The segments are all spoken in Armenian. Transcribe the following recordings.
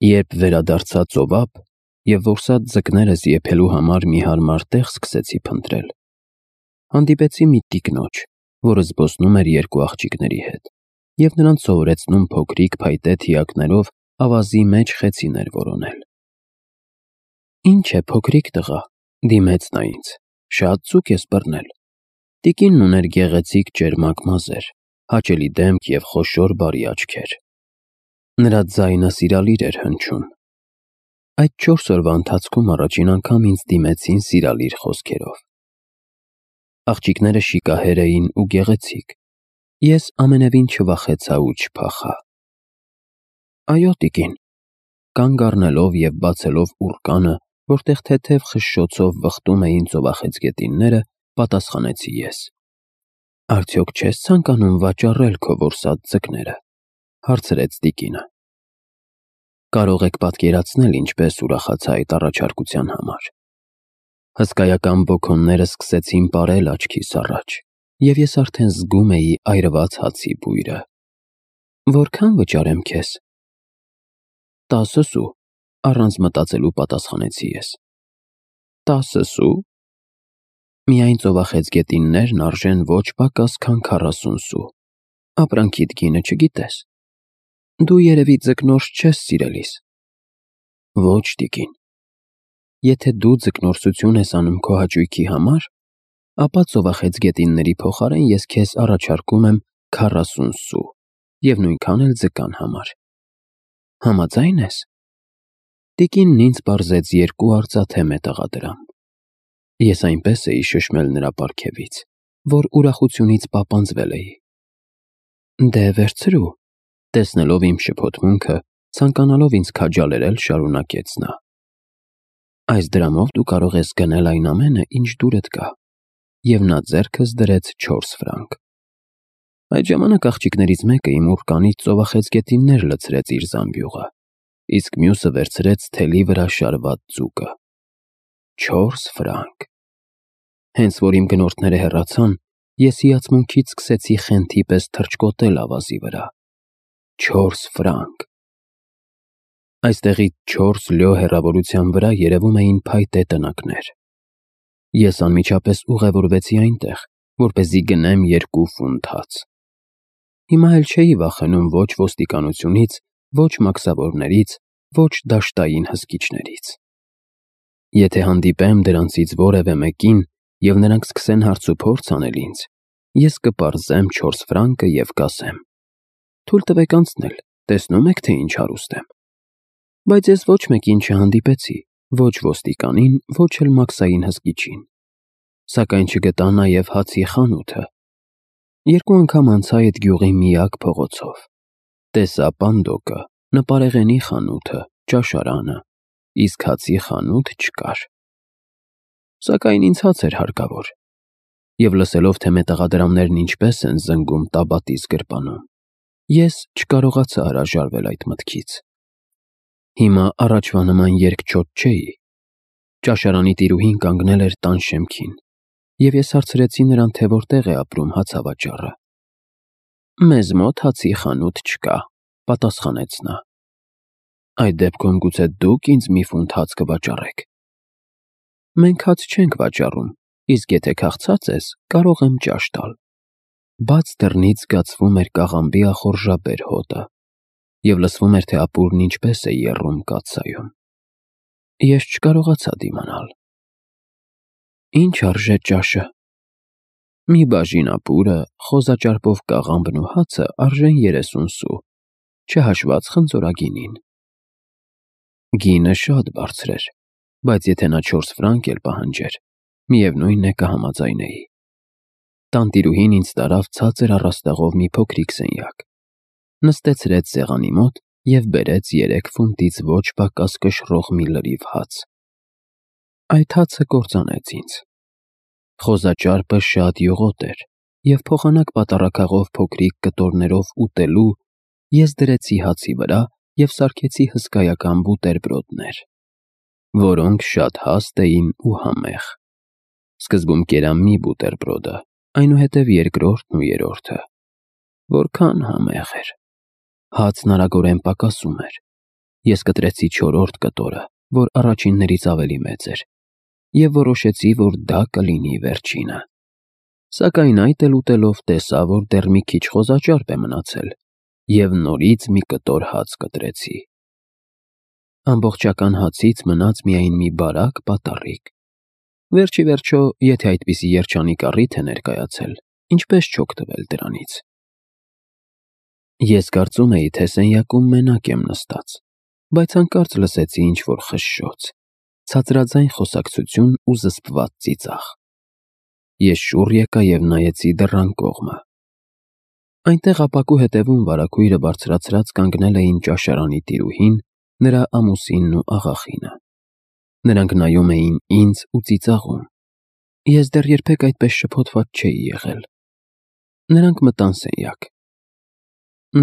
Երբ վերադարձա ծովափ և որսած ձկներս եփելու համար մի հարմար տեղ սկսեցի փնտրել, հանդիպեցի մի տիկնոջ, որը զբոսնում էր երկու աղջիկների հետ և նրանց սովորեցնում փոքրիկ փայտե թիակներով ավազի մեջ խեցիներ որոնել։ «Ինչ է, փոքրիկ տղա», դիմեց նա ինձ, «շատ ձուկ ես բռնել»։ Տիկինն ուներ գեղեցիկ ճերմակ մազեր, հաճելի դեմք և խոշոր բարի աչքեր։ Նրա ձայնը սիրալիր էր հնչում։ Այդ 4 օրվա ընթացքում առաջին անգամ ինձ դիմեցին սիրալիր խոսքերով։ Աղջիկները շիկահեր էին ու գեղեցիկ։ Ես ամենևին չվախեցա ու չփախա։ «Այո, տիկին», կանգ առնելով և բացելով ուռկանը, որտեղ թեթև խշշոցով վխտում էին ծովախեցգետինները, պատասխանեցի ես։ «Արդյոք չես ցանկանում վաճառել քո որսած ձկները», հարցրեց տիկինը։ Կարող եք պատկերացնել, ինչպես ուրախացա այդ առաջարկության համար։ Հսկայական բոքոնները սկսեցին պարել աչքիս առաջ, և ես արդեն զգում էի այրված հացի բույրը։ «Որքան վճարեմ քեզ»։ 10 սու, առանց մտածելու պատասխանեցի ես։ 10 սու։ Միայն ծովախեցգետիններն արժեն ոչ պակաս քան 40 սու։ Ապրանքիդ գինը չգիտես։ Դու երևի ձկնորս չես սիրելիս։ Ոչ, տիկին։ Եթե դու ձկնորսություն ես անում քո հաճույքի համար, ապա ծովախեցգետինների փոխարեն ես քեզ առաջարկում եմ 40 սու և նույնքան էլ ձկան համար։ Համաձայն ես։ Տիկինն ինձ պարզեց 2 արծաթե մետաղադրամ։ Ես այնպես էի շշմել նրա պարգևից, որ ուրախությունից պապանձվել էի։ Դե վերցրու, տեսնելով իմ շփոթմունքը, ցանկանալով ինձ քաջալերել, շարունակեց նա։ Այս դրամով դու կարող ես գնել այն ամենը, ինչ դուրդ կա, և նա ձեռքս դրեց 4 ֆրանկ։ Այդ ժամանակ աղջիկներից մեկը իմ ուռկանից ծովախեցգետիններ լցրեց իր զամբյուղը, իսկ մյուսը վերցրեց թելի վրա շարված ձուկը։ 4 ֆրանկ։ Հենց որ իմ գնորդները հեռացան, ես հիացմունքից սկսեցի խենթի պես թռչկոտել ավազի վրա։ 4 ֆրանկ։ Այստեղից 4 լյո հեռավորության վրա երևում էին փայտե տնակներ։ Ես անմիջապես ուղևորվեցի այնտեղ, որպեսզի գնեմ 2 ֆունտ հաց։ Հիմա էլ չէի վախենում ոչ ոստիկանությունից, ոչ մաքսավորներից, ոչ դաշտային հսկիչներից։ Եթե հանդիպեմ դրանցից որևէ մեկին, և նրանք սկսեն հարցուփորձ անել ինձ, ես կպարզեմ 4 ֆրանկը և կասեմ. թույլ տվեք անցնել, տեսնում եք, թե ինչ հարուստ եմ։ Բայց ես ոչ մեկին չհանդիպեցի, ոչ ոստիկանին, ոչ էլ մաքսային հսկիչին։ Սակայն չգտա նաև հացի խանութը։ 2 անգամ անցա այդ գյուղի միակ փողոցով։ Տեսա պանդոկը, նպարեղենի խանութը, ճաշարանը, իսկ հացի խանութ չկար։ Սակայն ինձ հաց էր հարկավոր, և լսելով, թե մետաղադրամներն ինչպես են զնգում տաբատիս գրպանում, ես չկարողացա հրաժարվել այդ մտքից։ Հիմա առաջվա նման երկչոտ չէի։ Ճաշարանի տիրուհին կանգնել էր տան շեմքին, և ես հարցրեցի նրան, թե որտեղ է ապրում հացավաճառը։ Մեզ մոտ հացի խանութ չկա, պատասխանեց նա։ Այդ դեպքում գուցե դուք ինձ մի ֆունտ հաց կվաճառեք։ Մենք հաց չենք վաճառում, իսկ եթե քաղցած ես, կարող եմ ճաշ տալ։ Բաց դռնից զգացվում էր կաղամբի ախորժաբեր հոտը, և լսվում էր, թե ապուրն ինչպես է եռում կաթսայում։ Ես չկարողացա դիմանալ։ Ինչ արժե ճաշը։ Մի բաժին ապուրը, խոզաճարպով կաղամբն ու հացը արժեն 30 սու, չհաշված խնձորագինին։ Գինը շատ բարձր էր, բայց եթե նա 4 ֆրանկ էլ պահանջեր, միևնույն է կհամաձայնեի։ Տանտիրուհին ինձ տարավ ցածր առաստաղով մի փոքրիկ սենյակ, նստեցրեց սեղանի մոտ և բերեց 3 ֆունտից ոչ պակաս կշռող մի լրիվ հաց։ Այդ հացը կործանեց ինձ։ Խոզաճարպը շատ յուղոտ էր, և փոխանակ պատառաքաղով փոքրիկ կտորներով ուտելու ես դրեցի հացի վրա և սարքեցի հսկայական բուտերբրոդներ, որոնք շատ հաստ էին ու համեղ։ Սկզբում կերա մի բուտերբրոդը, այնուհետև երկրորդն ու երրորդը։ Որքան համեղ էր։ Հացն արագորեն պակասում էր։ Ես կտրեցի 4-րդ կտորը, որ առաջիններից ավելի մեծ էր, և որոշեցի, որ դա կլինի վերջինը։ Սակայն այդ էլ ուտելով տեսա, որ դեռ մի քիչ խոզաճարպ է մնացել, և նորից մի կտոր հաց կտրեցի։ Ամբողջական հացից մնաց միայն մի բարակ պատառիկ։ Վերջի վերջո, եթե այդպիսի երջանիկ առիթ է ներկայացել, ինչպես չօգտվել դրանից։ Ես կարծում էի, թե սենյակում մենակ եմ նստած, բայց հանկարծ լսեցի ինչ-որ խշշոց, ցածրաձայն խոսակցություն ու զսպված ծիծաղ։ Ես շուռ եկա և նայեցի դռան կողմը։ Այնտեղ ապակու հետևում վարագույրը բարձրացրած կանգնել էին ճաշարանի տիրուհին, նրա ամուսինն ու աղախինը։ Նրանք նայում էին ինձ ու ծիծաղում։ Ես դեռ երբեք այդպես շփոթված չէի եղել։ Նրանք մտան սենյակ։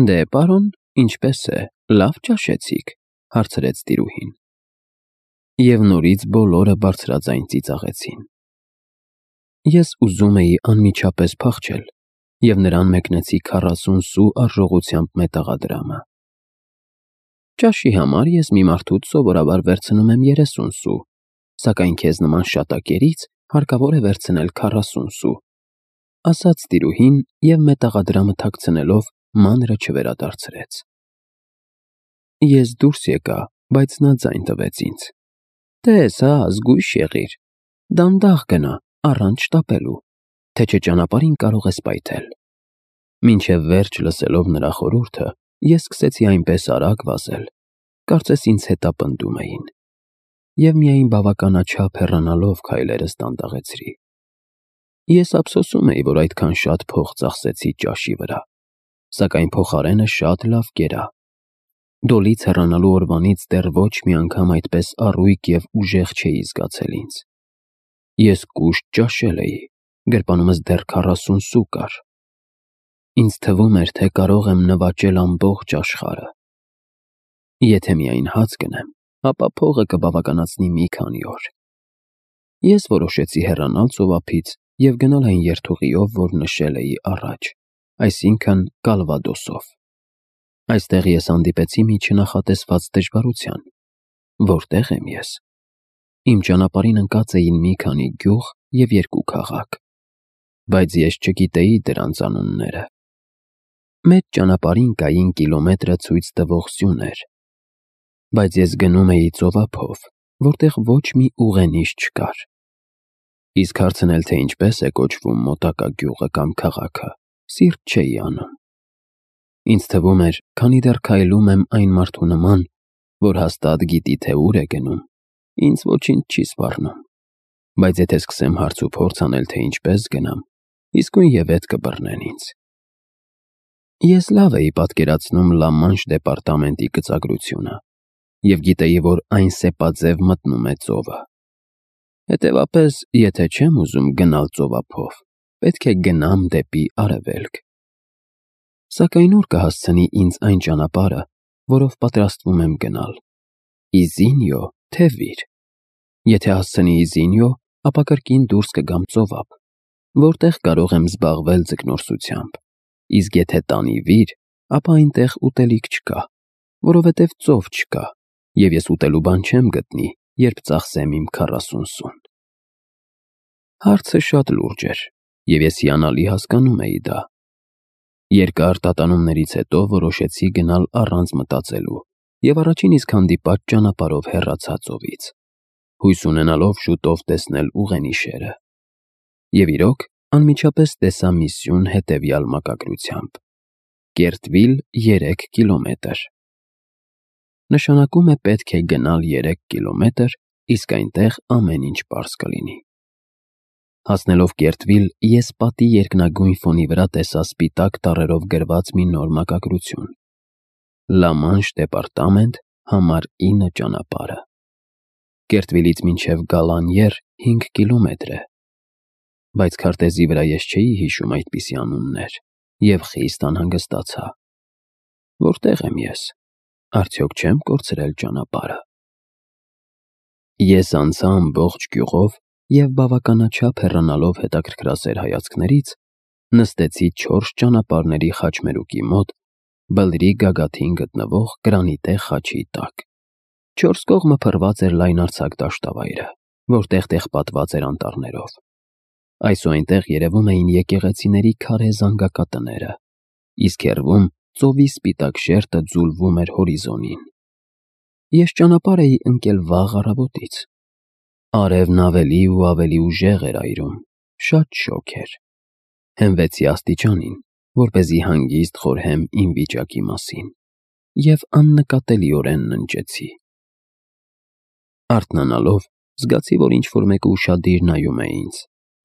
«Դե, պարոն, ինչպե՞ս է, լավ ճաշեցի՞ք», հարցրեց տիրուհին։ Եվ նորից բոլորը բարձրաձայն ծիծաղեցին։ Ես ուզում էի անմիջապես փախչել և նրան մեկնեցի 40 սու արժողությամբ մետաղադրամը։ Ճաշի համար ես մի մարդուց սովորաբար վերցնում եմ 30 սու, սակայն քեզ նման շատակերից հարկավոր է վերցնել 40 սու, ասաց տիրուհին և մետաղադրամը թաքցնելով մանրը չվերադարձրեց։ Ես դուրս եկա, բայց նա ձայն տվեց ինձ. «Տես, զգույշ եղիր, դանդաղ գնա, առանց շտապելու, թե չէ ճանապարհին կարող ես պայթել»։ Մինչև վերջ լսելով նրա խորհուրդը, ես սկսեցի այնպես արագ վազել, կարծես ինձ հետապնդում էին, և միայն բավականաչափ հեռանալով քայլերս դանդաղեցրի։ Ես ափսոսում էի, որ այդքան շատ փող ծախսեցի ճաշի վրա, սակայն փոխարենը շատ լավ կերա։ Դոլից հեռանալու օրվանից դեռ ոչ մի անգամ այդպես առույգ և ուժեղ չէի զգացել ինձ։ Ես կուշտ ճաշել էի, գրպանումս դեռ 40 սու կար։ Ինձ թվում էր, թե կարող եմ նվաճել ամբողջ աշխարհը։ Եթե միայն հաց գնեմ, ապա փողը կբավականացնի մի քանի օր։ Ես որոշեցի հեռանալ ծովափից և գնալ այն երթուղիով, որ նշել էի առաջ, այսինքն Կալվադոսով։ Այստեղ ես հանդիպեցի մի չնախատեսված դժվարության։ Որտե՞ղ եմ ես։ Իմ ճանապարհին ընկած էին մի քանի գյուղ և 2 քաղաք, բայց ես չգիտեի դրանց անունները։ Մեծ ճանապարհին կային կիլոմետրը ցույց տվող սյուներ, բայց ես գնում էի ծովափով, որտեղ ոչ մի ուղենիշ չկար։ Իսկ հարցնել, թե ինչպես է կոչվում մոտակա գյուղը կամ քաղաքը, սիրտ չէի անում։ Ինձ թվում էր, քանի դեռ քայլում եմ այն մարդու նման, որ հաստատ գիտի, թե ուր է գնում, ինձ ոչինչ չի սպառնում, բայց եթե սկսեմ հարց ու փորձ անել, թե ինչպես գնամ, իսկույն և ետ կբռնեն ինձ։ Ես լավ էի պատկերացնում Լա Մանշ դեպարտամենտի գծագրությունը և գիտեի, որ այն սեպաձև մտնում է ծովը։ Հետևաբար, եթե չեմ ուզում գնալ ծովափով, պետք է գնամ դեպի արևելք։ Սակայն ուր կհասցնի ինձ այն ճանապարհը, որով պատրաստվում եմ գնալ։ Իզինյո, թե Վիր։ Եթե հասցնի Իզինյո, ապա կրկին դուրս կգամ ծովափ, որտեղ կարող եմ զբաղվել ձկնորսությամբ, իսկ եթե տանի Վիր, ապա այնտեղ ուտելիք չկա, որովհետև ծով չկա, և ես ուտելու բան չեմ գտնի, երբ ծախսեմ իմ 40 սուն։ Հարցը շատ լուրջ էր, և ես հիանալի հասկանում էի դա։ Երկար տատանումներից հետո որոշեցի գնալ առանց մտածելու և առաջին իսկ հանդիպած ճանապարհով հեռացա ծովից, հույս ունենալով շուտով տեսնել ուղենիշերը։ Եվ իրոք, անմիջապես տեսա մի սյուն հետևյալ մակագրությամբ. Կերտվիլ 3 կիլոմետր։ Նշանակում է պետք է գնալ 3 կիլոմետր, իսկ այնտեղ ամեն ինչ պարզ կլինի։ Հասնելով Կերտվիլ, ես պատի երկնագույն ֆոնի վրա տեսա սպիտակ տառերով գրված մի նոր մակագրություն. Լա Մանշ դեպարտամենտ, համար 9 ճանապարհը։ Կերտվիլից մինչև Գալանյեր 5 կիլոմետր է, բայց քարտեզի վրա ես չէի հիշում այդպիսի անուններ և խիստ անհանգստացա։ Որտե՞ղ եմ ես, արդյոք չեմ կորցրել ճանապարհը։ Ես անցա ամբողջ գյուղով և բավականաչափ հեռանալով հետաքրքրասեր հայացքներից, նստեցի 4 ճանապարհների խաչմերուկի մոտ, բլրի գագաթին գտնվող գրանիտե խաչի տակ։ Չորս կողմը փռված էր լայնարձակ դաշտավայրը, որտեղ պատված էր անտառներով։ Այս ու այնտեղ երևում էին եկեղեցիների քարե զանգակատները, իսկ հեռվում ծովի սպիտակ շերտը ձուլվում էր հորիզոնին։ Ես ճանապարհ էի ընկել վաղ առավոտից։ Արևն ավելի ու ավելի ուժեղ էր այրում, շատ շոգ էր։ Հենվեցի աստիճանին, որպեսզի հանգիստ խորհեմ իմ վիճակի մասին, և աննկատելիորեն ննջեցի։ Արթնանալով զգացի, որ ինչ-որ մեկը ուշադիր նայում է ինձ,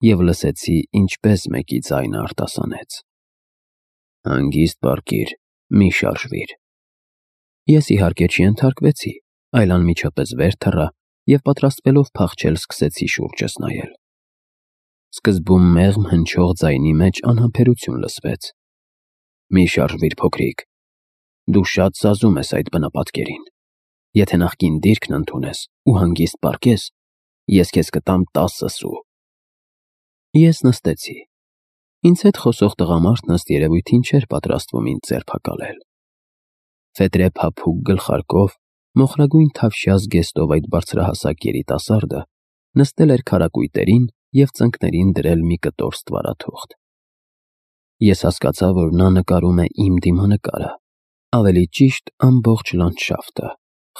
և լսեցի, ինչպես մեկի ձայնը արտասանեց. «Հանգիստ պառկիր, մի շարժվիր»։ Ես իհարկե չենթարկվեցի, այլ անմիջապես վեր թռա և պատրաստվելով փախչել սկսեցի շուրջս նայել։ Սկզբում մեղմ հնչող ձայնի մեջ անհամբերություն լսվեց. «Մի շարժվիր, փոքրիկ, դու շատ սազում ես այդ բնապատկերին։ Եթե նախկին դիրքն ընդունես ու հանգիստ պառկես, ես քեզ կտամ 10 սու»։ Ես նստեցի։ Ինձ հետ խոսող տղամարդն ըստ երևույթին չէր պատրաստվում ինձ ձերբակալել։ Ֆետրե փափուկ գլխարկով, մոխրագույն թավշյա զգեստով այդ բարձրահասակ երիտասարդը նստել էր քարակույտերին և ծնկներին դրել մի կտոր ստվարաթուղթ։ Ես հասկացա, որ նա նկարում է իմ դիմանկարը, ավելի ճիշտ ամբողջ լանդշաֆտը,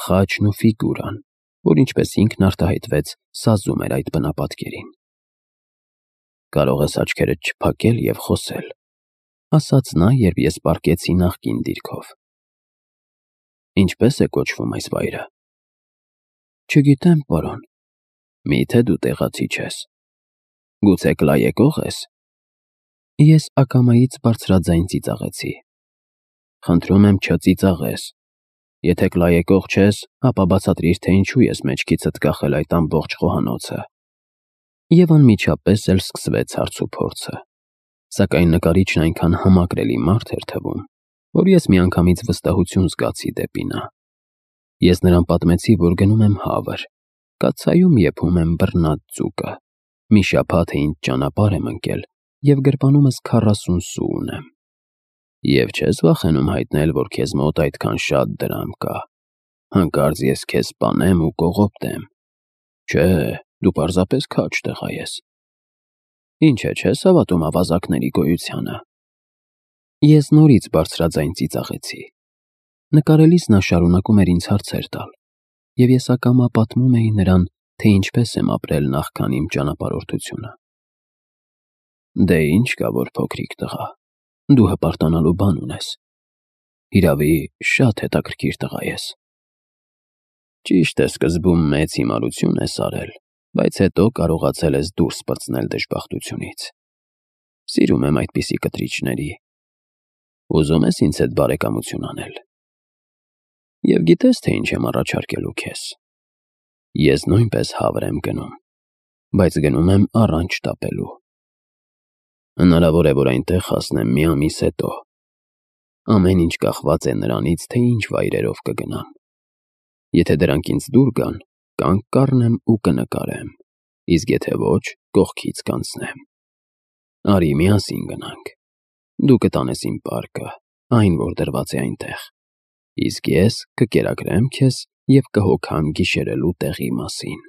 խաչն ու ֆիգուրան, որ ինչպես ինքն արտահայտվեց, սազում էր այդ բնապատկերին։ «Կարող ես աչքերդ չփակել և խոսել», ասաց նա, երբ ես պառկեցի նախկին դիրքով։ «Ինչպե՞ս է կոչվում այս վայրը»։ «Չգիտեմ, պարոն»։ «Մի՞թե դու տեղացի չես։ Գուցե կլայեկող ես»։ Ես ակամայից բարձրաձայն ծիծաղեցի։ «Խնդրում եմ, չծիծաղես։ Եթե կլայեկող չես, ապա բացատրիր, թե ինչու ես մեջքիցդ կախել այդ ամբողջ խոհանոցը»։ Եվ անմիջապես էլ սկսվեց հարցուփորձը, սակայն նկարիչն այնքան համակրելի մարդ էր թվում, որ ես միանգամից վստահություն զգացի դեպի նա։ Ես նրան պատմեցի, որ գնում եմ Հավր, կաթսայում եփում եմ բռնած ձուկը, մի շաբաթ է ինձ ճանապարհ եմ ընկել և գրպանումս 40 սու ունեմ։ «Եվ չես վախենում հայտնել, որ քեզ մոտ այդքան շատ դրամ կա։ Հանկարծ ես քեզ սպանեմ ու կողոպտեմ։ Չէ, դու պարզապես քաջ տղա ես։ Ինչ է, չես հավատում ավազակների գոյությանը»։ Ես նորից բարձրաձայն ծիծաղեցի։ Նկարելիս նա շարունակում էր ինձ հարցեր տալ, և ես ակամա պատմում էի նրան, թե ինչպես եմ ապրել նախքան իմ ճանապարհորդությունը։ «Դե ինչ կա, որ փոքրիկ տղա, դու հպարտանալու բան ունես։ Հիրավի, շատ հետաքրքիր տղա ես։ Ճիշտ է, սկզբում մեծ հիմարություն ես արել, բայց հետո կարողացել ես դուրս պրծնել դժբախտությունից։ Սիրում եմ այդպիսի կտրիչների։ Ուզում ես ինձ հետ բարեկամություն անել։ Եվ գիտես, թե ինչ եմ առաջարկելու քեզ։ Ես նույնպես Հավր եմ գնում, բայց գնում եմ առանց շտապելու։ Հնարավոր է, որ այնտեղ հասնեմ մի ամիս հետո։ Ամեն ինչ կախված է նրանից, թե ինչ վայրերով կգնամ։ Եթե դրանք ինձ դուր գան, կանգ կառնեմ ու կնկարեմ, իսկ եթե ոչ, կողքից կանցնեմ։ Արի միասին գնանք։ Դու կտանես իմ պարկը, այն, որ դրված է այնտեղ, իսկ ես կկերակրեմ քեզ և կհոգամ գիշերելու տեղի մասին»։